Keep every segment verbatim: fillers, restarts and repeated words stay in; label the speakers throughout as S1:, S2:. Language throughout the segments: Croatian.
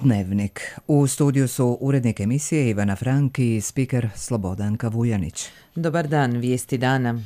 S1: Dnevnik. U studiju su urednik emisije Ivana Frank i spiker Slobodanka Vujanić.
S2: Dobar dan, vijesti dana.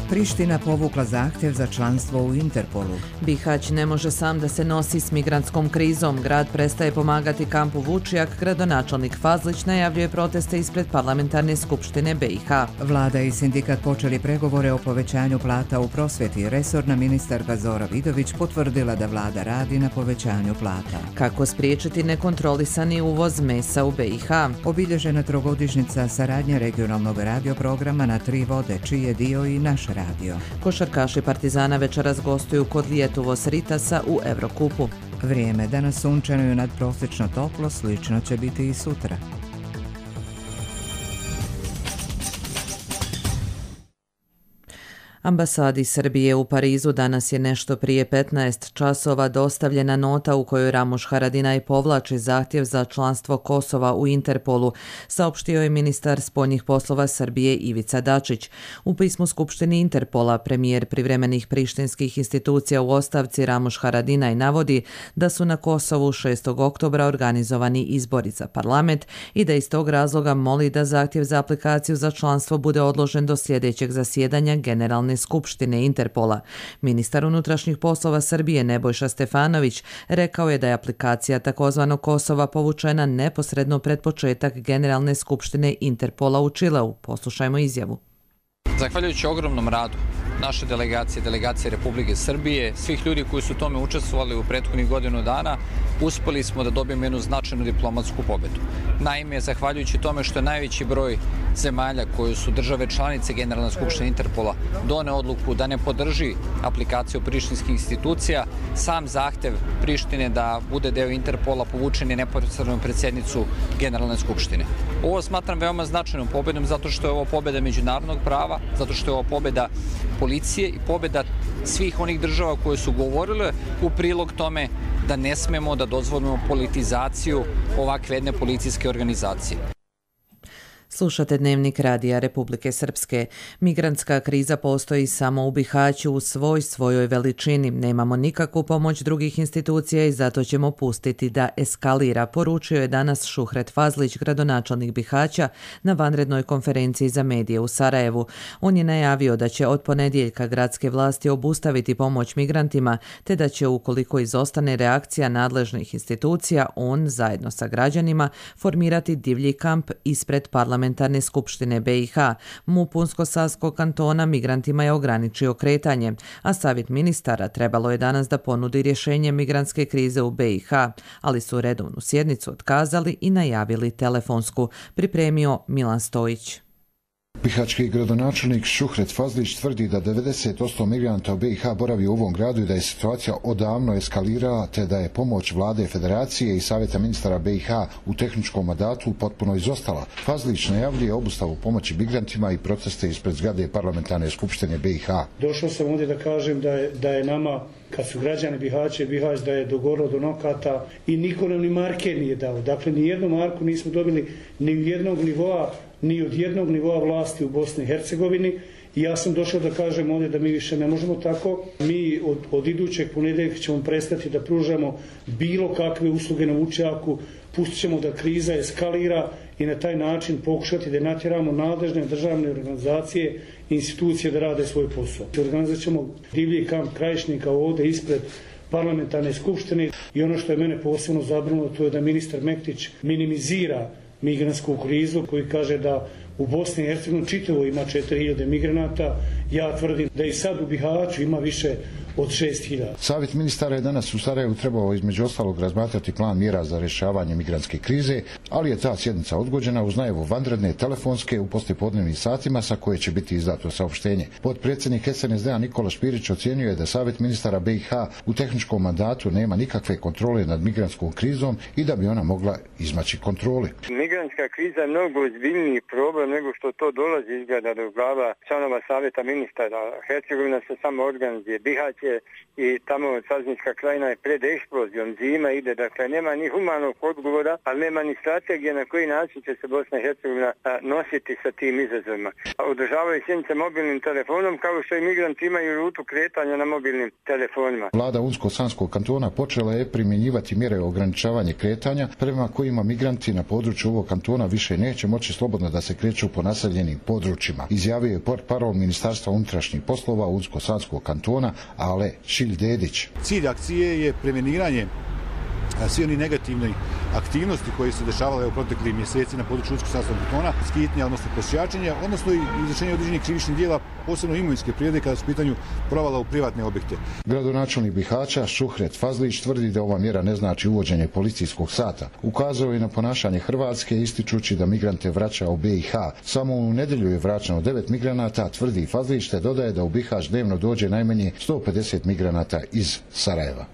S1: Priština povukla zahtjev za članstvo u Interpolu.
S2: Bihać ne može sam da se nosi s migrantskom krizom. Grad prestaje pomagati kampu Vučijak. Gradonačelnik Fazlić najavljuje proteste ispred parlamentarne skupštine B i H.
S1: Vlada i sindikat počeli pregovore o povećanju plata u prosvjeti. Resorna ministarka Zora Vidović potvrdila da vlada radi na povećanju plata.
S2: Kako spriječiti nekontrolisani uvoz mesa u B i H?
S1: Obilježena trogodišnjica saradnje regionalnog radioprograma na tri vode, čiji je dio i naš radio.
S2: Košarkaši Partizana večeras gostuju kod Lijetuvos Ritasa u Evrokupu.
S1: Vrijeme danas sunčano i nadprosječno toplo, slično će biti i sutra.
S2: Ambasadi Srbije u Parizu danas je nešto prije petnaest časova dostavljena nota u kojoj Ramuš Haradinaj povlači zahtjev za članstvo Kosova u Interpolu, saopštio je ministar spoljnih poslova Srbije Ivica Dačić. U pismu Skupštini Interpola premijer privremenih prištinskih institucija u ostavci Ramuš Haradinaj navodi da su na Kosovu šestog oktobra organizovani izbori za parlament i da iz tog razloga moli da zahtjev za aplikaciju za članstvo bude odložen do sljedećeg zasjedanja Generalne skupštine Interpola. Ministar unutrašnjih poslova Srbije Nebojša Stefanović rekao je da je aplikacija takozvanog Kosova povučena neposredno pred početak Generalne skupštine Interpola u Čileu. Poslušajmo izjavu.
S3: Zahvaljujući ogromnom radu naše delegacije, delegacije Republike Srbije, svih ljudi koji su u tome učestvovali u prethodnih godinu dana, uspeli smo da dobijemo jednu značajnu diplomatsku pobedu. Naime, zahvaljujući tome što je najveći broj zemalja koje su države članice Generalne skupštine Interpola done odluku da ne podrži aplikaciju prištinskih institucija, sam zahtev Prištine da bude deo Interpola povučen je neposredno pred sjednicu Generalne skupštine. Ovo smatram veoma značajnom pobedom zato što je ovo pobeda međunarodnog prava, zato što je ovo pobeda policije i pobeda svih onih država koje su govorile u prilog tome da ne smemo da dozvolimo politizaciju ovakve jedne policijske organizacije.
S2: Slušate Dnevnik Radija Republike Srpske. Migrantska kriza postoji samo u Bihaću u svoj svojoj veličini. Nemamo nikakvu pomoć drugih institucija i zato ćemo pustiti da eskalira, poručio je danas Šuhret Fazlić, gradonačelnik Bihaća, na vanrednoj konferenciji za medije u Sarajevu. On je najavio da će od ponedjeljka gradske vlasti obustaviti pomoć migrantima, te da će, ukoliko izostane reakcija nadležnih institucija, on, zajedno sa građanima, formirati divlji kamp ispred parlamenta Parlamentarne skupštine B i H. M U P Unsko-Sanskog kantona migrantima je ograničio kretanje, a savjet ministara trebalo je danas da ponudi rješenje migrantske krize u B i H, ali su redovnu sjednicu otkazali i najavili telefonsku, pripremio Milan Stojić.
S4: Bihaćki gradonačelnik Šuhret Fazlić tvrdi da devedeset posto migranta u B i H boravi u ovom gradu i da je situacija odavno eskalirala, te da je pomoć vlade Federacije i savjeta ministara B i H u tehničkom mandatu potpuno izostala. Fazlić najavljuje obustavu pomoći migrantima i proteste ispred zgrade parlamentarne skupštine B i H.
S5: Došao sam ovdje da kažem da je, da je nama, kad su građani Bihaća i Bihać, da je dogorilo do nokata i niko nam ni marke nije dao. Dakle, ni jednu marku nismo dobili ni u jednog nivoa, ni od jednog nivoa vlasti u Bosni i Hercegovini. I ja sam došao da kažem ovdje da mi više ne možemo tako. Mi od, od idućeg ponedjeljka ćemo prestati da pružamo bilo kakve usluge na Vučjaku, pustit ćemo da kriza eskalira i na taj način pokušati da natjeramo nadležne državne organizacije i institucije da rade svoj posao. Organizat ćemo divlji kamp krajišnika ovdje ispred parlamentarne skupštine i ono što je mene posebno zabrinulo, to je da ministar Mektić minimizira migrantsku krizu, koji kaže da u Bosni i Hercegovini čitavo ima četiri hiljade migranata. Ja tvrdim da i sad u Bihaću ima više od šest hiljada.
S4: Savjet ministara je danas u Sarajevu trebao između ostalog razmatrati plan mjera za rješavanje migrantske krize, ali je ta sjednica odgođena uz najavu vanredne telefonske u poslijepodnevnim satima sa koje će biti izdato saopštenje. Potpredsjednik S N S D-a Nikola Špirić ocjenjuje je da Savjet ministara B i H u tehničkom mandatu nema nikakve kontrole nad migrantskom krizom i da bi ona mogla izmaći kontroli.
S6: Migrantska kriza je mnogo ozbiljniji problem nego što to dolazi izgleda do glava članova Savjeta ministara. Hercegovina se samo organizuje, Bihać situacije i tamo Saznička krajina je pred eksplozijom, zima ide, dakle nema ni humanog odgovora, ali nema ni strategije na koji način će se Bosna i Hercegovina nositi sa tim izazovima. Održavaju sjednice mobilnim telefonom kao što i migranti imaju rutu kretanja na mobilnim telefonima.
S4: Vlada Unsko-Sanskog kantona počela je primjenjivati mjere ograničavanja kretanja prema kojima migranti na području ovog kantona više neće moći slobodno da se kreću po naseljenim područjima. Izjavio je portparol Ministarstva unutrašnjih poslova Unsko-Sanskog kantona Ale Šilj-Dedić.
S7: Cilj akcije je preveniranje svi oni negativni aktivnosti koje su dešavale u proteklih mjeseci na području Unsko-Sanskog kantona, skitnja, odnosno prosjačenja, odnosno i izvršenje određenih krivičnih djela, posebno imovinske prirode kada su u pitanju provala u privatne objekte.
S4: Gradonačelnik Bihaća Šuhret Fazlić tvrdi da ova mjera ne znači uvođenje policijskog sata. Ukazao je na ponašanje Hrvatske ističući da migrante vraća u B i H. Samo u nedjelju je vraćeno devet migranata, tvrdi Fazlić, te dodaje da u Bihać dnevno dođe najmanje sto pedeset migranata iz Sarajeva.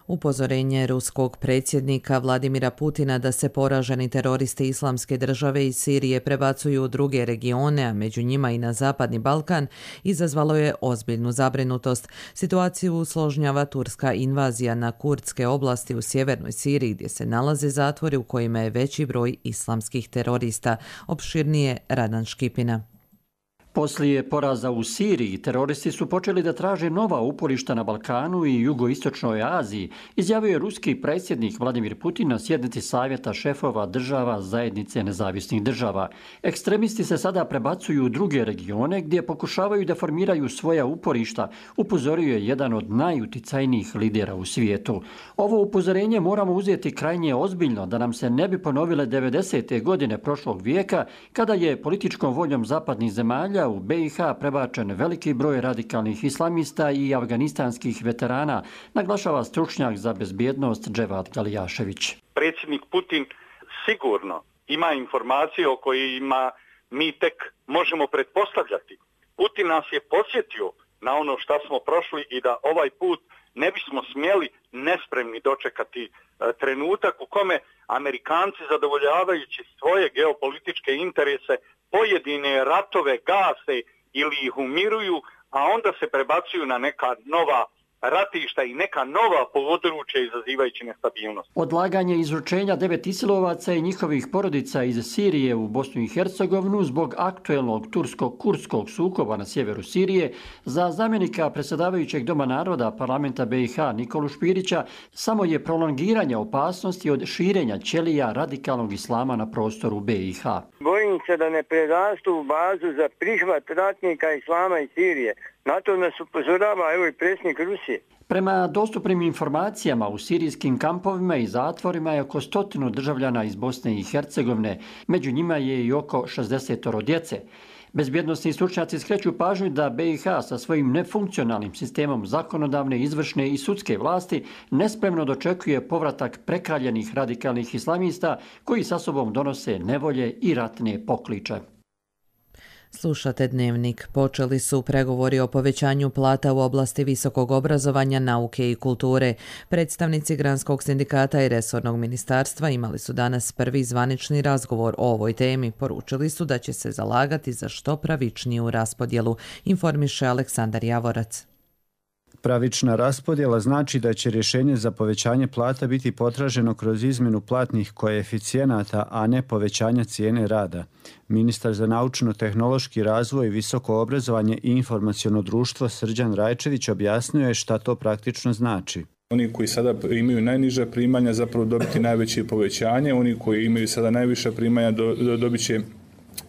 S2: Upozorenje ruskog predsjednika Vladimira Putina da se poraženi teroristi Islamske države iz Sirije prebacuju u druge regione, a među njima i na Zapadni Balkan, izazvalo je ozbiljnu zabrinutost. Situaciju usložnjava turska invazija na kurdske oblasti u sjevernoj Siriji, gdje se nalaze zatvori u kojima je veći broj islamskih terorista. Opširnije Radan Škipina.
S8: Poslije poraza u Siriji, teroristi su počeli da traže nova uporišta na Balkanu i jugoistočnoj Aziji, izjavio je ruski predsjednik Vladimir Putin na sjednici Savjeta šefova država Zajednice nezavisnih država. Ekstremisti se sada prebacuju u druge regione gdje pokušavaju da formiraju svoja uporišta, upozorio je jedan od najuticajnijih lidera u svijetu. Ovo upozorenje moramo uzeti krajnje ozbiljno da nam se ne bi ponovile devedesete godine prošlog vijeka, kada je političkom voljom zapadnih zemalja u B i H prebačen veliki broj radikalnih islamista i afganistanskih veterana, naglašava stručnjak za bezbjednost Dževad Galijašević.
S9: Predsjednik Putin sigurno ima informacije o kojima mi tek možemo pretpostavljati. Putin nas je podsjetio na ono što smo prošli i da ovaj put ne bismo smjeli nespremni dočekati e, trenutak u kome Amerikanci, zadovoljavajući svoje geopolitičke interese, pojedine ratove gase ili ih umiruju, a onda se prebacuju na neka nova ratišta i neka nova područja izazivajući nestabilnost.
S8: Odlaganje izručenja devet isilovaca i njihovih porodica iz Sirije u Bosnu i Hercegovinu zbog aktuelnog tursko-kurdskog sukoba na sjeveru Sirije za zamjenika predsjedavajućeg Doma naroda parlamenta B i H Nikolu Špirića samo je prolongiranje opasnosti od širenja ćelija radikalnog islama na prostoru B i H.
S6: Bojim se da ne prerastu u bazu za prihvat ratnika islama iz Sirije. Na to nas upozorava evo i predsjednik Rusije.
S8: Prema dostupnim informacijama u sirijskim kampovima i zatvorima je oko stotinu državljana iz Bosne i Hercegovine, među njima je i oko šezdeset djece. Bezbjednosni stručnjaci skreću pažnju da B i H sa svojim nefunkcionalnim sistemom zakonodavne, izvršne i sudske vlasti nespremno dočekuje povratak prekaljenih radikalnih islamista koji sa sobom donose nevolje i ratne pokliče.
S2: Slušate Dnevnik. Počeli su pregovori o povećanju plata u oblasti visokog obrazovanja, nauke i kulture. Predstavnici Granskog sindikata i resornog ministarstva imali su danas prvi zvanični razgovor o ovoj temi. Poručili su da će se zalagati za što pravičniju raspodjelu, informiše Aleksandar Javorac.
S10: Pravična raspodjela znači da će rješenje za povećanje plata biti potraženo kroz izmjenu platnih koeficijenata, a ne povećanja cijene rada. Ministar za naučno-tehnološki razvoj, visoko obrazovanje i informaciono društvo Srđan Rajčević objasnio je šta to praktično znači.
S11: Oni koji sada imaju najniža primanja zapravo dobiti najveće povećanje, oni koji imaju sada najviša primanja do, do, dobit će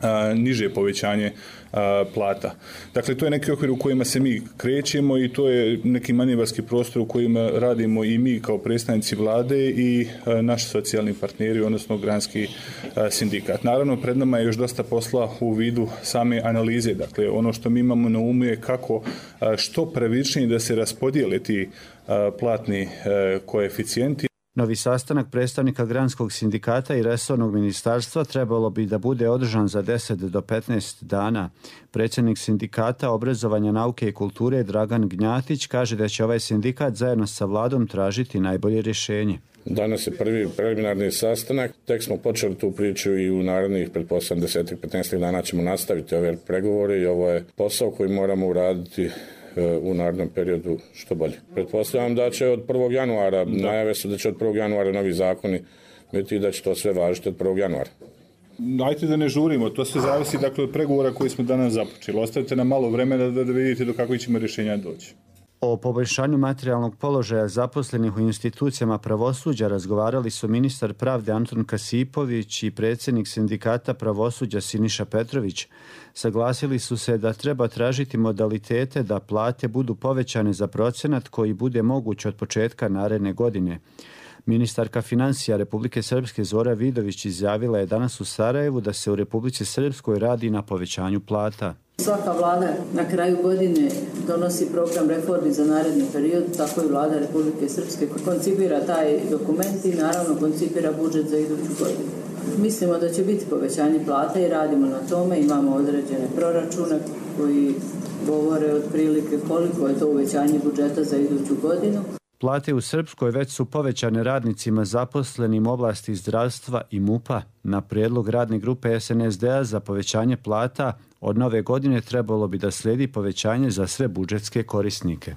S11: a, niže povećanje a, plata. Dakle, to je neki okvir u kojima se mi krećemo i to je neki manevarski prostor u kojima radimo i mi kao predstavnici vlade i a, naši socijalni partneri, odnosno Granski a, sindikat. Naravno, pred nama je još dosta posla u vidu same analize. Dakle, ono što mi imamo na umu je kako a, što pravičnije da se raspodijele ti a, platni a, koeficijenti.
S10: Novi sastanak predstavnika Granskog sindikata i resornog ministarstva trebalo bi da bude održan za deset do petnaest dana. Predsjednik sindikata obrazovanja, nauke i kulture Dragan Gnjatić kaže da će ovaj sindikat zajedno sa vladom tražiti najbolje rješenje.
S12: Danas je prvi preliminarni sastanak, tek smo počeli tu priču i u narednih pretpostavljam deset do petnaest dana ćemo nastaviti ove pregovore i ovo je posao koji moramo uraditi u narednom periodu što bolje. Pretpostavljam da će od prvog januara, da. najave su da će od prvog januara novi zakoni biti i da će to sve važiti od prvog januara.
S11: Ajte da ne žurimo, to sve zavisi dakle, od pregovora koji smo danas započeli. Ostavite nam malo vremena da, da vidite do kakvih ćemo rješenja doći.
S10: O poboljšanju materijalnog položaja zaposlenih u institucijama pravosuđa razgovarali su ministar pravde Antun Kasipović i predsjednik sindikata pravosuđa Siniša Petrović. Saglasili su se da treba tražiti modalitete da plate budu povećane za procenat koji bude moguć od početka naredne godine. Ministarka financija Republike Srpske Zora Vidović izjavila je danas u Sarajevu da se u Republici Srpskoj radi na povećanju plata.
S13: Svaka vlada na kraju godine donosi program reformi za naredni period, tako i vlada Republike Srpske koncipira taj dokument i naravno koncipira budžet za iduću godinu. Mislimo da će biti povećanje plata i radimo na tome, imamo određene proračune koji govore otprilike koliko je to uvećanje budžeta za iduću godinu.
S10: Plate u Srpskoj već su povećane radnicima zaposlenim u oblasti zdravstva i MUP-a. Na prijedlog radne grupe S N S D-a za povećanje plata od nove godine trebalo bi da slijedi povećanje za sve budžetske korisnike.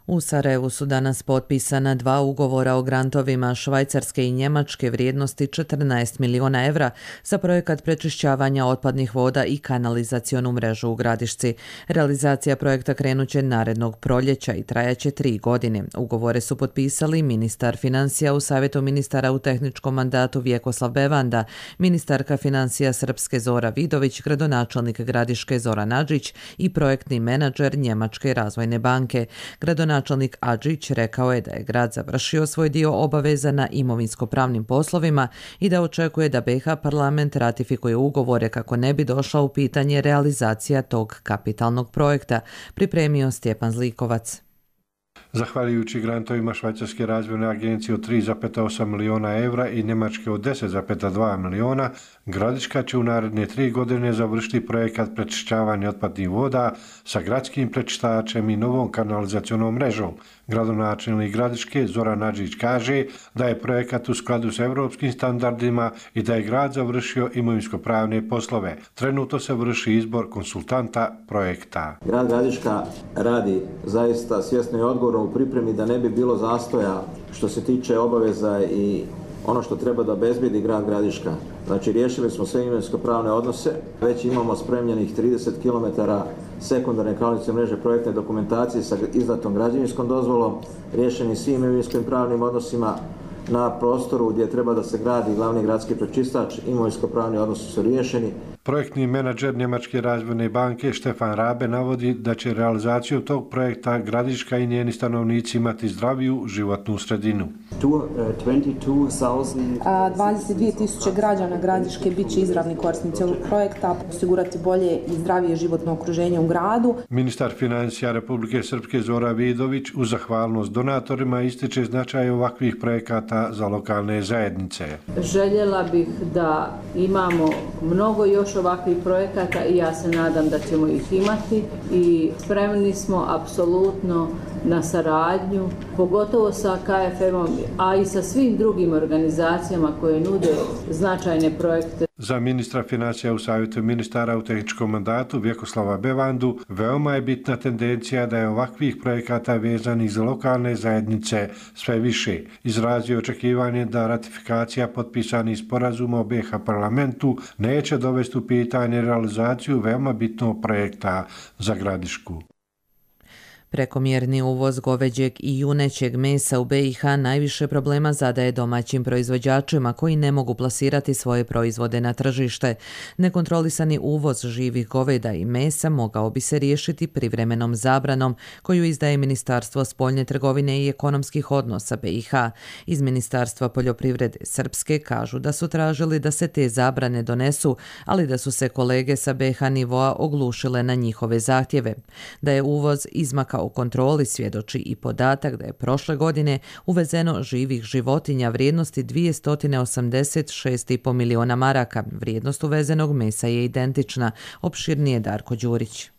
S2: U Sarajevu su danas potpisana dva ugovora o grantovima Švajcarske i Njemačke vrijednosti četrnaest miliona evra za projekat prečišćavanja otpadnih voda i kanalizacionu mrežu u Gradišci. Realizacija projekta krenuće narednog proljeća i trajaće tri godine. Ugovore su potpisali ministar financija u Savjetu ministara u tehničkom mandatu Vjekoslav Bevanda, ministarka financija Srpske Zora Vidović, gradonačelnik Gradiške Zoran Adžić i projektni menadžer Njemačke razvojne banke. Gradonačelnik Načelnik Adžić rekao je da je grad završio svoj dio obaveza na imovinsko-pravnim poslovima i da očekuje da B i H parlament ratifikuje ugovore kako ne bi došla u pitanje realizacija tog kapitalnog projekta, pripremio Stjepan Zlikovac.
S14: Zahvaljujući grantovima Švajcarske razvojne agencije od tri zarez osam miliona evra i Njemačke od deset zarez dva miliona, Gradiška će u naredne tri godine završiti projekat prečišćavanja otpadnih voda sa gradskim prečistačem i novom kanalizacionom mrežom. Gradonačelnik Gradiške Zoran Adžić kaže da je projekat u skladu s europskim standardima i da je grad završio imovinsko-pravne poslove. Trenutno se vrši izbor konsultanta projekta.
S15: Grad Gradiška radi zaista svjesno i odgovorno u pripremi da ne bi bilo zastoja što se tiče obaveza i ono što treba da obezbedi grad Gradiška. Znači, riješili smo sve imovinsko-pravne odnose, već imamo spremljenih trideset kilometara sekundarne kanalizacione mreže projektne dokumentacije sa izdatom građevinskom dozvolom, riješeni svim imovinsko-pravnim odnosima na prostoru gdje treba da se gradi glavni gradski prečistač, imovinsko-pravni odnosi su riješeni.
S14: Projektni menadžer Njemačke razvojne banke Štefan Rabe navodi da će realizaciju tog projekta Gradiška i njeni stanovnici imati zdraviju životnu sredinu.
S16: dvadeset dvije tisuće građana Gradiške bit će izravni korisnici ovog projekta, osigurati bolje i zdravije životno okruženje u gradu.
S14: Ministar financija Republike Srpske Zora Vidović uz zahvalnost donatorima ističe značaj ovakvih projekata za lokalne zajednice.
S13: Željela bih da imamo mnogo još ovakvih projekata i ja se nadam da ćemo ih imati i spremni smo apsolutno na saradnju, pogotovo sa K F M-om, a i sa svim drugim organizacijama koje nude značajne projekte.
S14: Za ministra financija u Savjetu ministara u tehničkom mandatu Vjekoslava Bevandu veoma je bitna tendencija da je ovakvih projekata vezanih za lokalne zajednice sve više. Izrazio očekivanje da ratifikacija potpisanih sporazuma o B i H parlamentu neće dovesti u pitanje realizaciju veoma bitnog projekta za Gradišku.
S2: Prekomjerni uvoz goveđeg i junećeg mesa u B i H najviše problema zadaje domaćim proizvođačima koji ne mogu plasirati svoje proizvode na tržište. Nekontrolisani uvoz živih goveda i mesa mogao bi se riješiti privremenom zabranom koju izdaje Ministarstvo spoljne trgovine i ekonomskih odnosa B i H. Iz Ministarstva poljoprivrede Srpske kažu da su tražili da se te zabrane donesu, ali da su se kolege sa B i H nivoa oglušile na njihove zahtjeve. Da je uvoz izmakao u kontroli svjedoči i podatak da je prošle godine uvezeno živih životinja vrijednosti dvjesto osamdeset šest zarez pet miliona maraka. Vrijednost uvezenog mesa je identična, opširnije Darko Đurić.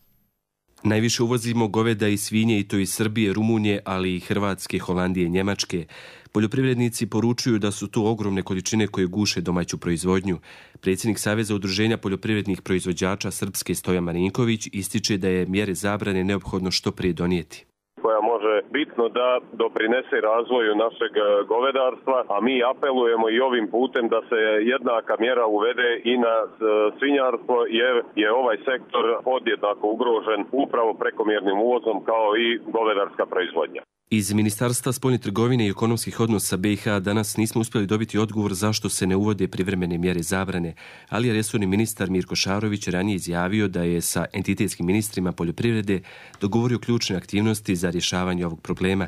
S17: Najviše uvozimo goveda i svinje i to iz Srbije, Rumunije, ali i Hrvatske, Holandije i Njemačke. Poljoprivrednici poručuju da su to ogromne količine koje guše domaću proizvodnju. Predsjednik Saveza udruženja poljoprivrednih proizvođača Srpske Stojan Marinković ističe da je mjere zabrane neophodno što prije donijeti.
S18: Koja može bitno da doprinese razvoju našeg govedarstva, a mi apelujemo i ovim putem da se jednaka mjera uvede i na svinjarstvo, jer je ovaj sektor podjednako ugrožen upravo prekomjernim uvozom kao i govedarska proizvodnja.
S17: Iz Ministarstva spoljne trgovine i ekonomskih odnosa B i H danas nismo uspjeli dobiti odgovor zašto se ne uvode privremene mjere zabrane, ali je resorni ministar Mirko Šarović ranije izjavio da je sa entitetskim ministrima poljoprivrede dogovorio ključne aktivnosti za rješavanje ovog problema.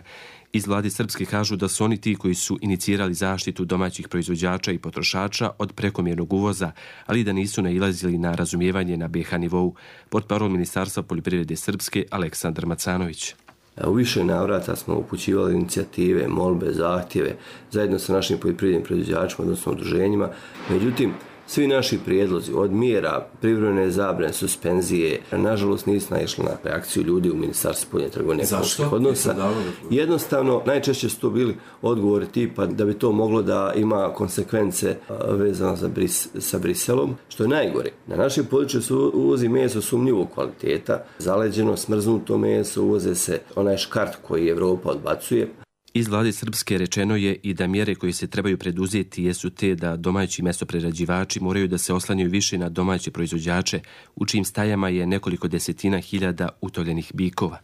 S17: Iz vlade Srpske kažu da su oni ti koji su inicirali zaštitu domaćih proizvođača i potrošača od prekomjernog uvoza, ali da nisu nailazili na razumijevanje na B i H nivou. Portparol Ministarstva poljoprivrede Srpske Aleksandar Macanović.
S19: U više navrata smo upućivali inicijative, molbe, zahtjeve zajedno sa našim poljoprivrednim proizvođačima, odnosno udruženjima. Međutim, svi naši prijedlozi od mjera, privremene zabrane, suspenzije, nažalost nisu naišli na reakciju ljudi u Ministarstvu spoljne trgovine i ekonomskih odnosa. Jednostavno, najčešće su to bili odgovori tipa da bi to moglo da ima konsekvence vezano za bris, sa Briselom, što je najgore. Na našem području se uvozi meso sumnjivog kvaliteta, zaleđeno, smrznuto meso, uvoze se onaj škart koji Evropa odbacuje.
S17: Iz vlade Srpske rečeno je i da mjere koje se trebaju preduzeti jesu te da domaći mesoprerađivači moraju da se oslanjaju više na domaće proizvođače, u čijim stajama je nekoliko desetina hiljada utovljenih bikova.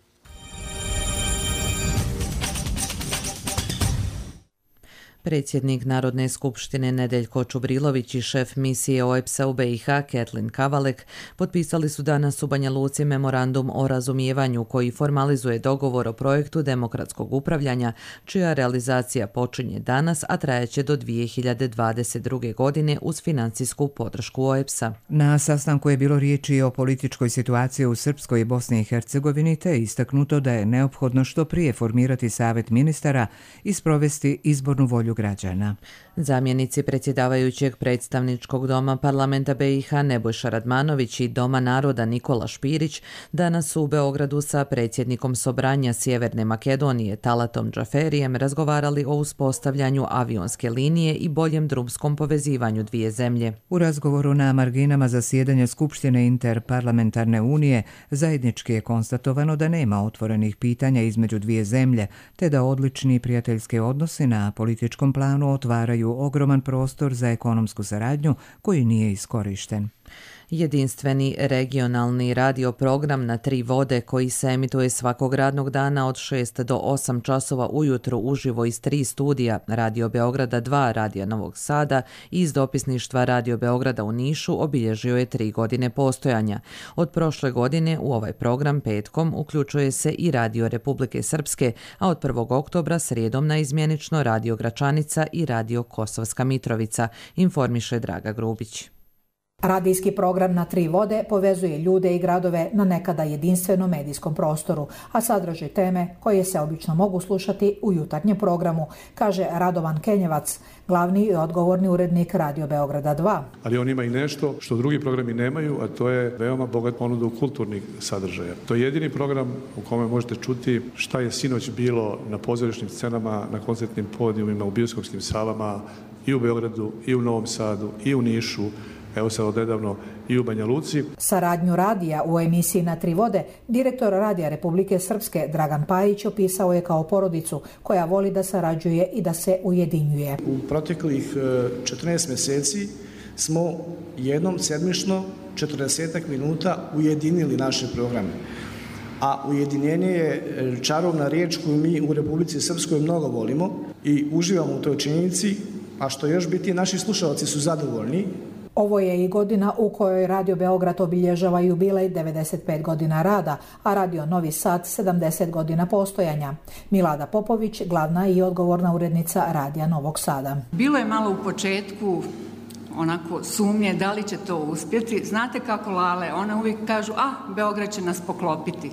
S2: Predsjednik Narodne skupštine Nedeljko Čubrilović i šef misije O E B S-a u B i H Ketlin Kavalek potpisali su danas u Banja Luci memorandum o razumijevanju koji formalizuje dogovor o projektu demokratskog upravljanja, čija realizacija počinje danas, a trajeće do dvije hiljade dvadeset druge. godine uz financijsku podršku O E B S-a.
S1: Na sastanku je bilo riječi o političkoj situaciji u Srpskoj i Bosni i Hercegovini, te istaknuto da je neophodno što prije formirati Savet ministara i sprovesti izbornu volju građana.
S2: Zamjenici predsjedavajućeg predstavničkog doma parlamenta B i H Nebojša Radmanović i Doma naroda Nikola Špirić danas su u Beogradu sa predsjednikom Sobranja Sjeverne Makedonije Talatom Džaferijem razgovarali o uspostavljanju avionske linije i boljem drumskom povezivanju dvije zemlje.
S1: U razgovoru na marginama zasjedanja Skupštine Interparlamentarne unije zajednički je konstatovano da nema otvorenih pitanja između dvije zemlje, te da odlični prijateljski odnosi na političkom planu otvaraju ogroman prostor za ekonomsku saradnju koji nije iskorišten.
S2: Jedinstveni regionalni radio program na tri vode koji se emituje svakog radnog dana od šest do osam časova ujutro uživo iz tri studija Radio Beograda dva, Radija Novog Sada i iz dopisništva Radio Beograda u Nišu obilježio je tri godine postojanja. Od prošle godine u ovaj program petkom uključuje se i Radio Republike Srpske, a od prvog oktobra srijedom na izmjenično Radio Gračanica i Radio Kosovska Mitrovica, informiše Draga Grubić.
S20: Radijski program na tri vode povezuje ljude i gradove na nekada jedinstvenom medijskom prostoru, a sadrži teme koje se obično mogu slušati u jutarnjem programu, kaže Radovan Kenjevac, glavni i odgovorni urednik Radio Beograda dva.
S21: Ali on ima i nešto što drugi programi nemaju, a to je veoma bogat ponudu kulturnih sadržaja. To je jedini program u kome možete čuti šta je sinoć bilo na pozorišnim scenama, na koncertnim podijumima, u bioskopskim salama i u Beogradu, i u Novom Sadu, i u Nišu, evo sad odnedavno i u Banja Luci.
S20: Saradnju radija u emisiji Na tri vode direktor Radija Republike Srpske Dragan Pajić opisao je kao porodicu koja voli da sarađuje i da se ujedinjuje.
S22: U proteklih četrnaest mjeseci smo jednom sedmično četrdesetak minuta ujedinili naše programe. A ujedinjenje je čarovna riječ koju mi u Republici Srpskoj mnogo volimo i uživamo u toj činjenici, a što još biti, naši slušalci su zadovoljni.
S20: Ovo je i godina u kojoj Radio Beograd obilježava jubilej devedeset pet godina rada, a Radio Novi Sad sedamdeset godina postojanja. Milada Popović, glavna i odgovorna urednica Radija Novog Sada.
S23: Bilo je malo u početku
S3: onako sumnje da li će to uspjeti. Znate kako Lale, one uvijek kažu, a Beograd će nas poklopiti.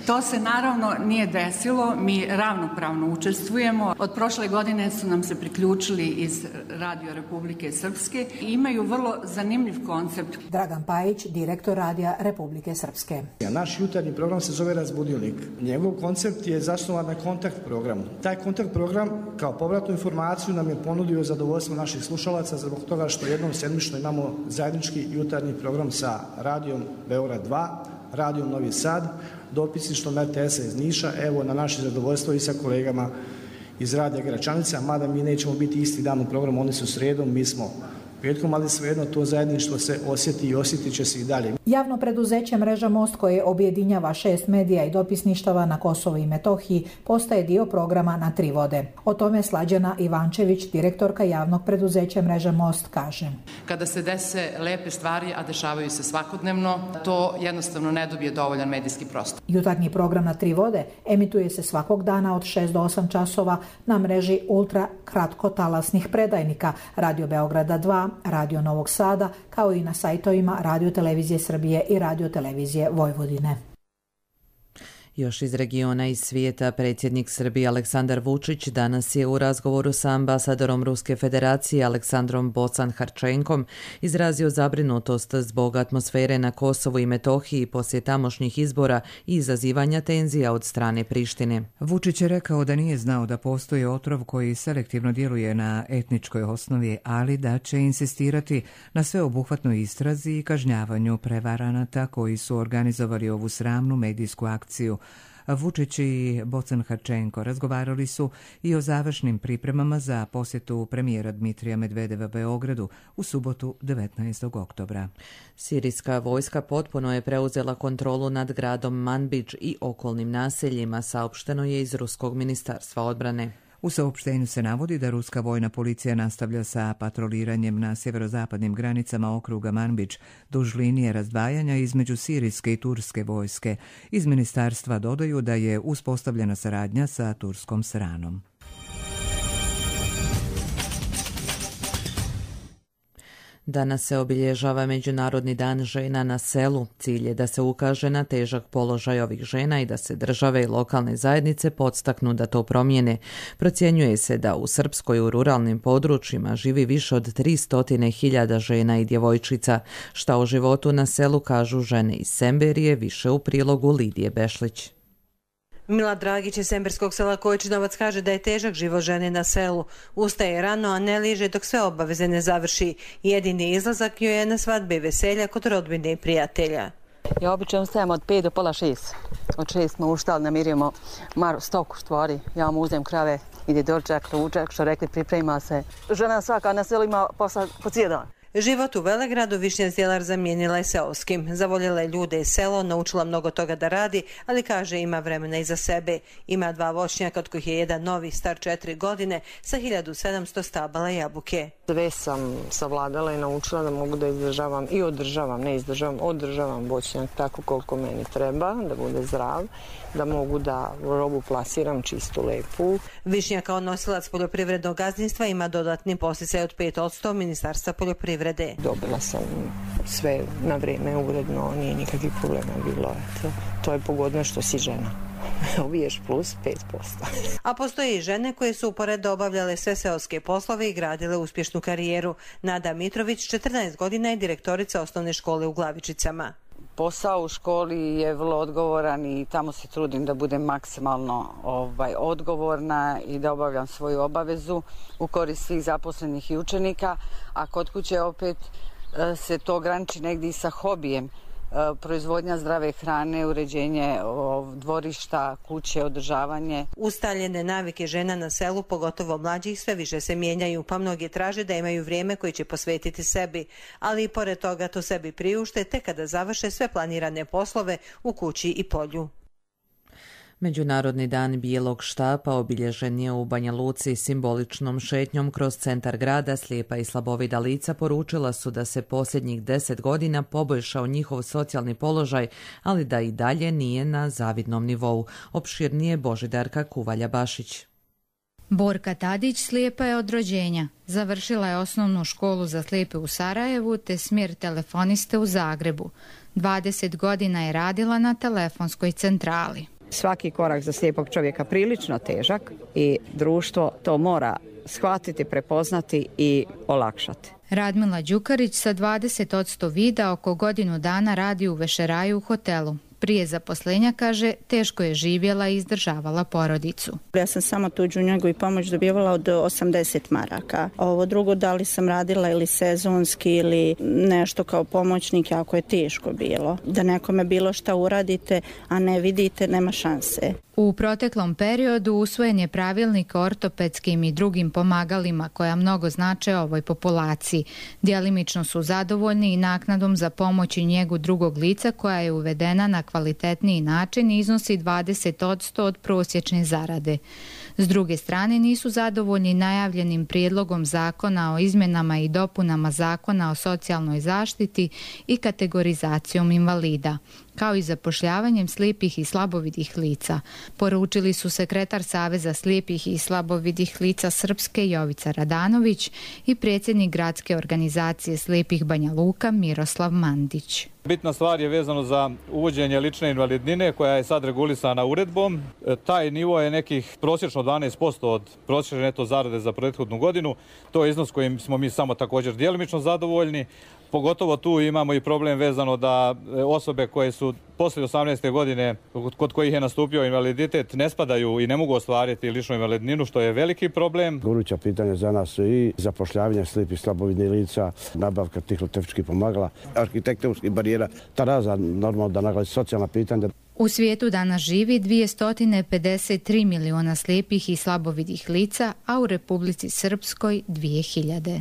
S3: To se naravno nije desilo, mi ravnopravno učestvujemo. Od prošle godine su nam se priključili iz Radio Republike Srpske i imaju vrlo zanimljiv koncept.
S20: Dragan Pajić, direktor Radija Republike Srpske.
S22: Naš jutarnji program se zove Razbudilnik. Njegov koncept je zasnovan na kontakt programu. Taj kontakt program kao povratnu informaciju nam je ponudio zadovoljstvo naših slušalaca zbog toga što jednom sedmično imamo zajednički jutarnji program sa Radijom Beograd dva, Radijom Novi Sad, dopisništvom er te esa iz Niša, evo na naše zadovoljstvo i sa kolegama iz Radija Gračanica, mada mi nećemo biti isti dan u programu, oni su sredom, mi smo petkom, ali svejedno to zajedništvo se osjeti i osjetit će se i dalje.
S20: Javno preduzeće Mreža Most, koje objedinjava šest medija i dopisništava na Kosovu i Metohiji, postaje dio programa Na tri vode. O tome Slađana Ivančević, direktorka javnog preduzeća Mreža Most, kaže.
S5: Kada se dese lepe stvari, a dešavaju se svakodnevno, to jednostavno ne dobije dovoljan medijski prostor.
S20: Jutarnji program Na tri vode emituje se svakog dana od šest do osam časova na mreži ultra kratkotalasnih predajnika Radio Beograda dva, Radio Novog Sada, kao i na sajtovima Radio Televizije Srbije i Radio Televizije Vojvodine.
S2: Još iz regiona i svijeta, predsjednik Srbije Aleksandar Vučić danas je u razgovoru sa ambasadorom Ruske federacije Aleksandrom Bocan-Harčenkom izrazio zabrinutost zbog atmosfere na Kosovu i Metohiji poslije tamošnjih izbora i izazivanja tenzija od strane Prištine.
S1: Vučić je rekao da nije znao da postoji otrov koji selektivno djeluje na etničkoj osnovi, ali da će insistirati na sveobuhvatnoj istrazi i kažnjavanju prevaranata koji su organizovali ovu sramnu medijsku akciju. Vučić i Bocan-Harčenko razgovarali su i o završnim pripremama za posjetu premijera Dmitrija Medvedeva Beogradu u subotu devetnaestog oktobra.
S2: Sirijska vojska potpuno je preuzela kontrolu nad gradom Manbidž i okolnim naseljima, saopšteno je iz Ruskog ministarstva odbrane.
S1: U saopštenju se navodi da ruska vojna policija nastavlja sa patroliranjem na sjeverozapadnim granicama okruga Manbidž duž linije razdvajanja između sirijske i turske vojske. Iz ministarstva dodaju da je uspostavljena saradnja sa turskom stranom.
S2: Danas se obilježava Međunarodni dan žena na selu. Cilj je da se ukaže na težak položaj ovih žena i da se države i lokalne zajednice podstaknu da to promijene. Procjenjuje se da u Srpskoj u ruralnim područjima živi više od tristo hiljada žena i djevojčica. Šta o životu na selu kažu žene iz Semberije, više u prilogu Lidije Bešlić.
S23: Mila Dragić iz semberskog sela Kojčinovac kaže da je težak život žene na selu. Ustaje rano, a ne liže dok sve obaveze ne završi. Jedini izlazak joj je na svadbe i veselja kod rodbine i prijatelja.
S24: Ja obično ustajem od pet do pola šest. Od šest smo uštali, namirimo maru stoku štvori. Ja mu uzem krave, ide dočak, ručak, što rekli priprema se. Žena svaka na selu ima posla po cijel dan.
S23: Život u Velegradu Višnja Zjelar zamijenila je seoskim. Zavoljela je ljude i selo, naučila mnogo toga da radi, ali kaže ima vremena i za sebe. Ima dva voćnjaka, od kojih je jedan novi, star četiri godine, sa hiljadu sedamsto stabala jabuke.
S25: Sve sam savladala i naučila da mogu da izdržavam i održavam, ne izdržavam, održavam voćnjak tako koliko meni treba, da bude zdrav, da mogu da robu plasiram čistu, lepu.
S23: Višnja kao nosilac poljoprivrednog gazdinstva ima dodatni posticaj od pet posto Ministarstva poljoprivrede.
S25: Dobila sam sve na vrijeme, uredno, nije nikakvih problema bilo. Eto, to je pogodno što si žena. Ubiješ plus pet posto.
S23: A postoje i žene koje su uporedo obavljale sve seoske poslove i gradile uspješnu karijeru. Nada Mitrović, četrnaest godina, je direktorica osnovne škole u Glavičicama.
S25: Posao u školi je vrlo odgovoran i tamo se trudim da budem maksimalno ovaj, odgovorna i da obavljam svoju obavezu u korist svih zaposlenih i učenika, a kod kuće opet se to graniči negdje i sa hobijem. Proizvodnja zdrave hrane, uređenje dvorišta, kuće, održavanje.
S23: Ustaljene navike žena na selu, pogotovo mlađih, sve više se mijenjaju, pa mnogi traže da imaju vrijeme koje će posvetiti sebi, ali i pored toga to sebi priušte tek kada završe sve planirane poslove u kući i polju.
S2: Međunarodni dan bijelog štapa obilježen je u Banja Luci simboličnom šetnjom kroz centar grada. Slijepa i slabovida lica poručila su da se posljednjih deset godina poboljšao njihov socijalni položaj, ali da i dalje nije na zavidnom nivou. Opširnije Božidarka Kuvalja Bašić.
S4: Borka Tadić slijepa je od rođenja. Završila je osnovnu školu za slijepe u Sarajevu te smjer telefoniste u Zagrebu. dvadeset godina je radila na telefonskoj centrali.
S6: Svaki korak za slijepog čovjeka prilično težak i društvo to mora shvatiti, prepoznati i olakšati.
S4: Radmila Đukarić sa dvadeset posto vida oko godinu dana radi u vešeraju u hotelu. Prije zaposlenja, kaže, teško je živjela i izdržavala porodicu.
S7: Ja sam samo tuđu njegu i pomoć dobivala od osamdeset maraka. Ovo drugo, da li sam radila ili sezonski ili nešto kao pomoćnik, jako je teško bilo. Da nekome bilo šta uradite, a ne vidite, nema šanse.
S4: U proteklom periodu usvojen je pravilnik o ortopedskim i drugim pomagalima koja mnogo znače ovoj populaciji. Djelimično su zadovoljni i naknadom za pomoć i njegu drugog lica koja je uvedena na kvalitetniji način i iznosi dvadeset posto od prosječne zarade. S druge strane, nisu zadovoljni najavljenim prijedlogom zakona o izmjenama i dopunama zakona o socijalnoj zaštiti i kategorizacijom invalida, kao i zapošljavanjem slijepih i slabovidih lica, poručili su sekretar Saveza slijepih i slabovidih lica Srpske Jovica Radanović i predsjednik gradske organizacije slijepih Banja Luka Miroslav Mandić.
S8: Bitna stvar je vezano za uvođenje lične invalidnine koja je sad regulisana uredbom. Taj nivo je nekih prosječno dvanaest posto od prosječne neto zarade za prethodnu godinu. To je iznos kojim smo mi samo također djelimično zadovoljni. Pogotovo tu imamo i problem vezano da osobe koje su poslije osamnaeste godine kod kojih je nastupio invaliditet ne spadaju i ne mogu ostvariti ličnu invalidninu, što je veliki problem.
S9: Goruća pitanja za nas su i zapošljavanje slijepih slabovidnih lica, nabavka tihlotehničkih pomagala, arhitektonskih barijera, ta razna normalno da naglasi socijalna pitanja.
S4: U svijetu danas živi dvjesto pedeset tri miliona slijepih i slabovidih lica, a u Republici Srpskoj dvije hiljade.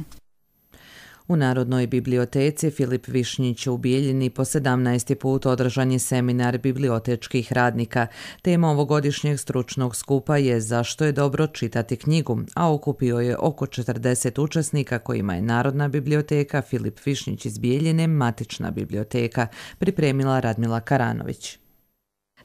S2: U Narodnoj biblioteci Filip Višnjić u Bijeljini po sedamnaesti put održan je seminar bibliotečkih radnika. Tema ovogodišnjeg stručnog skupa je zašto je dobro čitati knjigu, a okupio je oko četrdeset učesnika kojima je Narodna biblioteka Filip Višnjić iz Bijeljine matična biblioteka, pripremila Radmila Karanović.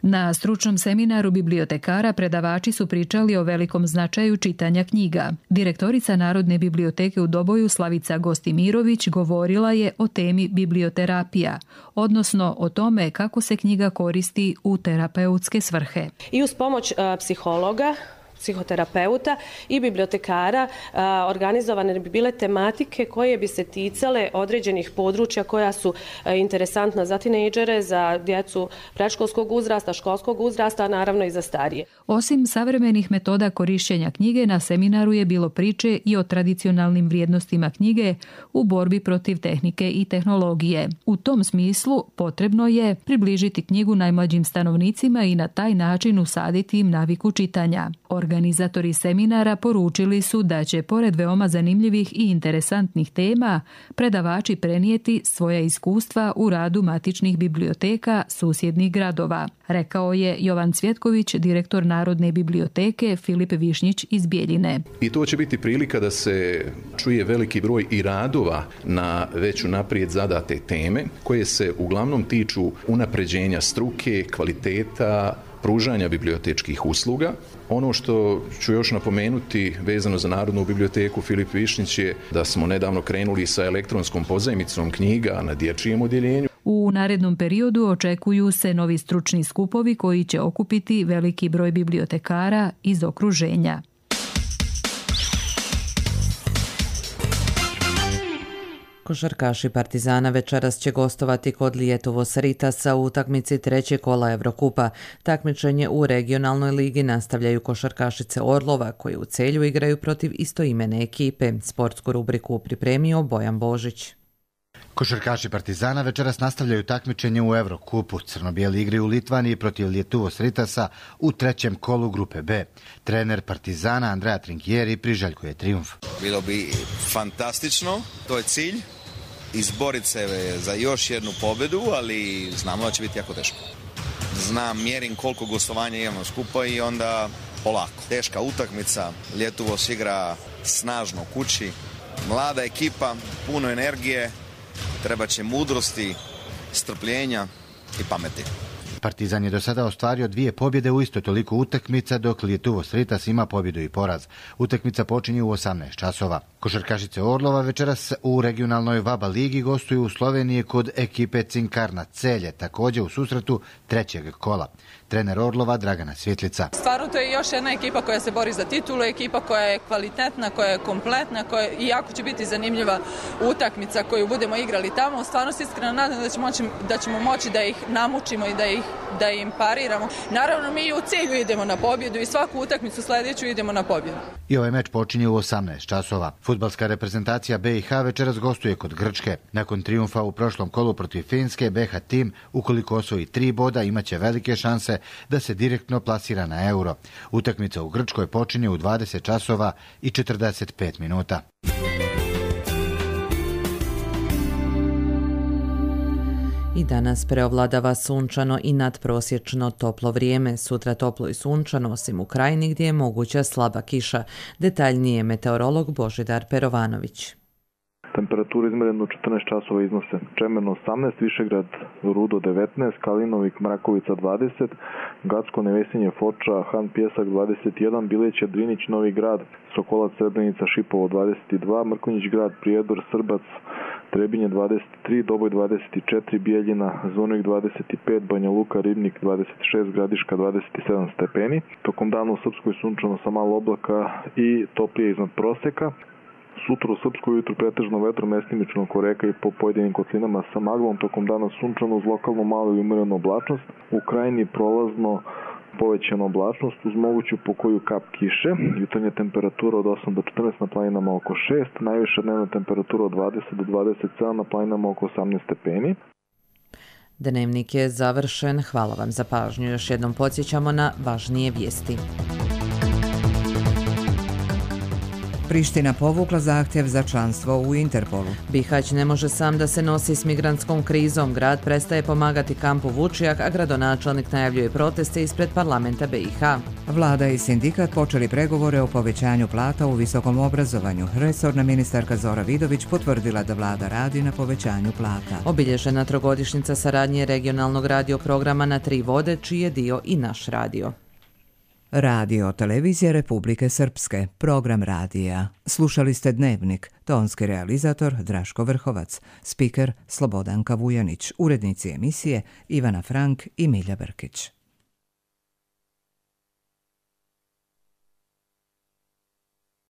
S26: Na stručnom seminaru bibliotekara predavači su pričali o velikom značaju čitanja knjiga. Direktorica Narodne biblioteke u Doboju Slavica Gostimirović govorila je o temi biblioterapija, odnosno o tome kako se knjiga koristi u terapeutske svrhe.
S27: I uz pomoć uh, psihologa, psihoterapeuta i bibliotekara a, organizovane bi bile tematike koje bi se ticale određenih područja koja su a, interesantna za tinejdžere, za djecu predškolskog uzrasta, školskog uzrasta, a naravno i za starije.
S26: Osim savremenih metoda korištenja knjige, na seminaru je bilo priče i o tradicionalnim vrijednostima knjige u borbi protiv tehnike i tehnologije. U tom smislu potrebno je približiti knjigu najmlađim stanovnicima i na taj način usaditi im naviku čitanja. Organizatori seminara poručili su da će, pored veoma zanimljivih i interesantnih tema, predavači prenijeti svoja iskustva u radu matičnih biblioteka susjednih gradova, rekao je Jovan Cvjetković, direktor Narodne biblioteke Filip Višnjić iz Bijeljine.
S28: I to će biti prilika da se čuje veliki broj i radova na već unaprijed zadate teme, koje se uglavnom tiču unapređenja struke, kvaliteta, pružanja bibliotečkih usluga. Ono što ću još napomenuti vezano za Narodnu biblioteku Filip Višnjić je da smo nedavno krenuli sa elektronskom pozajmicom knjiga na dječjem odjeljenju.
S26: U narednom periodu očekuju se novi stručni skupovi koji će okupiti veliki broj bibliotekara iz okruženja.
S2: Košarkaši Partizana večeras će gostovati kod Lietuvos Ritasa u utakmici trećeg kola Evrokupa. Takmičenje u regionalnoj ligi nastavljaju košarkašice Orlova koji u Celju igraju protiv istoimene ekipe. Sportsku rubriku pripremio Bojan Božić.
S29: Košarkaši Partizana večeras nastavljaju takmičenje u Evrokupu. Crno-bijeli igraju u Litvaniji protiv Lietuvos Ritasa u trećem kolu grupe B. Trener Partizana Andrea Trinkieri priželjkuje trijumf.
S30: Bilo bi fantastično, to je cilj. Izboriti se za još jednu pobjedu, ali znamo da će biti jako teško. Znam, mjerim koliko gostovanja imamo skupa i onda polako. Teška utakmica, Lietuvos igra snažno kući, mlada ekipa, puno energije, treba će mudrosti, strpljenja i pameti.
S29: Partizan je do sada ostvario dvije pobjede u isto toliko utakmica, dok Lietuvos Sritas ima pobjedu i poraz. Utakmica počinje u osamnaest časova. Košarkašice Orlova večeras u regionalnoj Vaba ligi gostuju u Sloveniji kod ekipe Cinkarna Celje, također u susretu trećeg kola. Trener Orlova Dragana Svjetlica.
S10: Stvarno to je još jedna ekipa koja se bori za titulu, ekipa koja je kvalitetna, koja je kompletna, koja je, i jako će biti zanimljiva utakmica koju budemo igrali tamo. Stvarno se iskreno nadam da ćemo moći, da ćemo moći da ih namučimo i da ih da im pariramo. Naravno, mi u cilju idemo na pobjedu i svaku utakmicu sljedeću idemo na pobjedu.
S29: I ovaj meč počinje u osamnaest časova. Fudbalska reprezentacija B i H večeras gostuje kod Grčke. Nakon trijumfa u prošlom kolu protiv Finske, B H tim, ukoliko osvoji tri boda, imaće velike šanse da se direktno plasira na euro. Utakmica u Grčkoj počinje u dvadeset časova i četrdeset pet minuta.
S2: I danas preovladava sunčano i nadprosječno toplo vrijeme. Sutra toplo i sunčano, osim u krajini gdje je moguća slaba kiša. Detaljnije meteorolog Božidar Perovanović.
S11: Temperature izmjerene u četrnaest časova iznose Čemerno osamnaest, Višegrad Rudo devetnaest, Kalinovik Mrakovica dvadeset, Gacko Nevesinje Foča, Han Pjesak dvadeset jedan, Bileća Drinić Novi Grad, Sokolac Srebrenica Šipovo dvadeset dva, Mrkonjić Grad Prijedor Srbac Trebinje dvadeset tri, Doboj dvadeset četiri, Bijeljina Zvornik dvadeset pet, Banja Luka Ribnik dvadeset šest, Gradiška dvadeset sedam stepeni. Tokom dana u Srpskoj sunčano sa malo oblaka i toplije iznad prosjeka. Sutra u Srpskoj ujutru pretežno vetro, mestimično oko reka i po pojedinim kotlinama sa maglom. Tokom dana sunčano uz lokalnu malu i umjerenu oblačnost. U krajini prolazno povećana oblačnost uz moguću pokoju kap kiše. Jutarnja temperatura od osam do četrnaest, na planinama oko šest. Najviša dnevna temperatura od dvadeset do dvadeset sedam, na planinama oko osamnaest stepeni.
S2: Dnevnik je završen. Hvala vam za pažnju. Još jednom podsjećamo na važnije vijesti.
S1: Priština povukla zahtjev za članstvo u Interpolu.
S2: Bihać ne može sam da se nosi s migrantskom krizom. Grad prestaje pomagati kampu Vučijak, a gradonačelnik najavljuje proteste ispred parlamenta B i H.
S1: Vlada i sindikat počeli pregovore o povećanju plata u visokom obrazovanju. Resorna ministarka Zora Vidović potvrdila da vlada radi na povećanju plata.
S2: Obilježena trogodišnjica saradnje regionalnog radio programa na tri vode, čiji je dio i naš radio.
S1: Radio Televizija Republike Srpske, program radija. Slušali ste Dnevnik, tonski realizator Draško Vrhovac, spiker Slobodanka Vujanić, urednici emisije Ivana Frank i Milja Brkić.